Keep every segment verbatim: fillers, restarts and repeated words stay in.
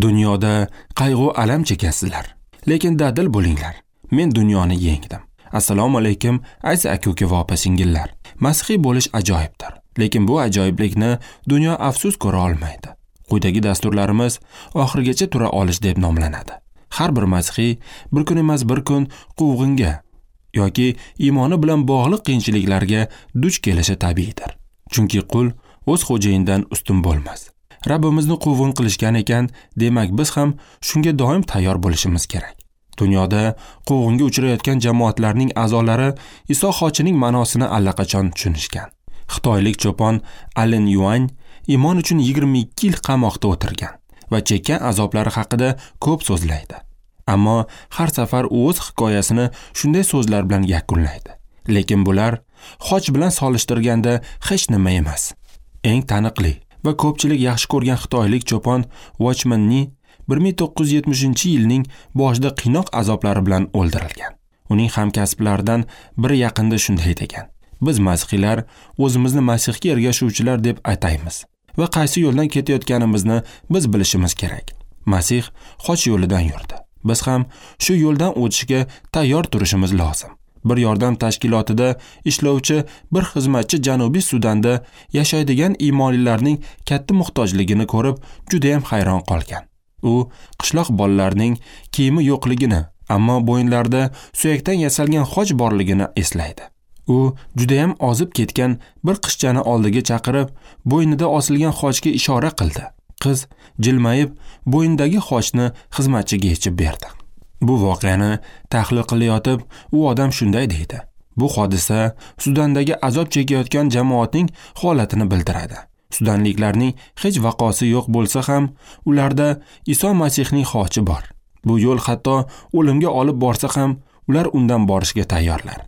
Dunyoda qayg'u alam chekasizlar, lekin dadil bo'linglar. Men dunyoni yengdim. Assalomu alaykum aziz aka-uka va opa-singillar. Masihiy bo'lish ajoyibdir, lekin bu ajoyiblikni dunyo afsus ko'ra olmaydi. Quyidagi dasturlarimiz oxirigacha tura olish deb nomlanadi. Har bir masihiy bir kun emas bir kun quvg'inga yoki iymoni bilan bog'liq qiyinchiliklarga duch kelishi tabiiydir. Chunki qul o'z xo'jayinidan ustun bo'lmas. Rabbimizni quvg'in qilishgan ekan, demak biz ham shunga doim tayyor bo'lishimiz kerak. Dunyoda quvg'inga uchrayotgan jamoatlarning a'zolari Iso xochining ma'nosini allaqachon tushunishgan. Xitoylik cho'pon Allen Yuan iymon uchun yigirma ikki yil qamoqda o'tirgan va chekkan azoblari haqida ko'p so'zlaydi. Ammo har safar u o'z hikoyasini shunday so'zlar bilan yakunlaydi. Lekin bular xoch bilan solishtirganda hech nima emas. Eng taniqli va ko'pchilik yaxshi ko'rgan xitoylik cho'pon Watchman Nee bir ming to'qqiz yuz yetmishinchi yilning boshida qiynoq azoblari bilan o'ldirilgan. Uning hamkasblaridan biri yaqinda shunday degan: Biz masihiylar o'zimizni Masihga ergashuvchilar deb ataymiz va qaysi yo'ldan ketayotganimizni biz bilishimiz kerak. Masih xoch yo'lidan yurdi. Biz ham shu yo'ldan o'tishga tayyor turishimiz lozim. Bir yordam tashkilotida ishlovchi bir xizmatchi Janubiy Sudanda yashaydigan iymonlilarning katta muhtojligini ko'rib juda ham hayron qolgan. U qishloq bolalarining kiyimi yo'qligini, ammo bo'yinlarida suyakdan yasalgan xoch borligini eslaydi. U juda ham ozib ketgan bir qizchani oldiga chaqirib, bo'ynida osilgan xochga ishora qildi. Qiz jilmayib, bo'yindagi xochni xizmatchiga yechib berdi. Bu voqeani tahlil qilayotib, u odam shunday deydi: Bu hodisa Sudandagi azob chekayotgan jamoatning holatini bildiradi. Sudanliklarning hech vaqosi yo'q bo'lsa ham, ularda Iso Masihning xochi bor. Bu yo'l hatto o'limga olib borsa ham, ular undan borishga tayyorlar.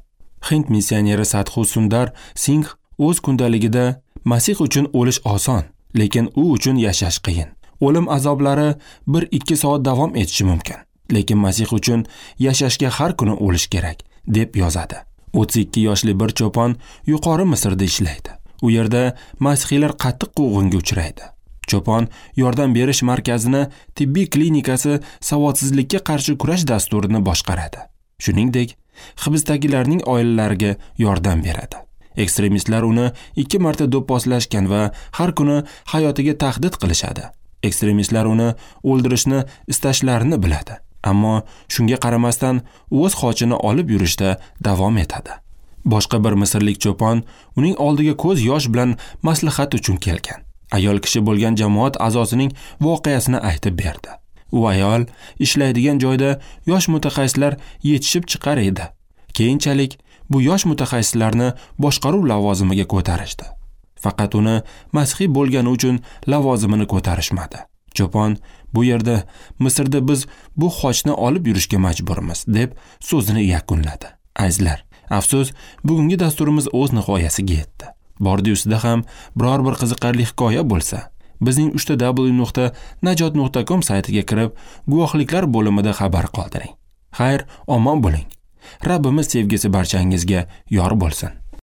Hind missioneri Sadhu Sundar Singh o'z kundaligida Masih uchun o'lish oson, lekin u uchun yashash qiyin. O'lim azoblari bir ikki soat davom etishi mumkin, lekin Masih uchun yashashga har kuni o'lish kerak, deb yozadi. o'ttiz ikki yoshli bir cho'pon yuqori Misrda ishlaydi. U yerda masihiylar qattiq quvg'inga uchraydi. Cho'pon yordam berish markazini tibbiy klinikasi savodsizlikka qarshi kurash dasturini boshqaradi. Shuningdek, hibsdagilarning oilalariga yordam beradi. Ekstremistlar uni ikki marta do'pposlashgan va har kuni hayotiga tahdid qilishadi. Ekstremistlar uni o'ldirishni istashlarini biladi, ammo shunga qaramasdan o'z xochini olib yurishda davom etadi. Boshqa bir misrlik cho'pon uning oldiga ko'z yosh bilan maslahat uchun kelgan. Ayol kishi bo'lgan jamoat a'zosining voqeasini aytib berdi. U ayol ishlaydigan joyda yosh mutaxassislar yetishib chiqar edi. Keyinchalik bu yosh mutaxassislarni boshqaruv lavozimiga ko'tarishdi. Faqat uni masihiy bo'lgani uchun lavozimini ko'tarishmadi. Cho'pon bu yerda Misrda biz bu xochni olib yurishga majburmiz, deb so'zini yakunladi. Azizlar, afsus, bugungi dasturimiz o'z nihoyasiga yetdi. Bordi-yu sizda ham biror bir qiziqarli hikoya bo'lsa, bizning uchta w nuqta najot nuqta com saytiga kirib, guvohliklar bo'limida xabar qoldiring. Xayr, omon bo'ling. Rabbimiz sevgisi barchangizga yor bo'lsin.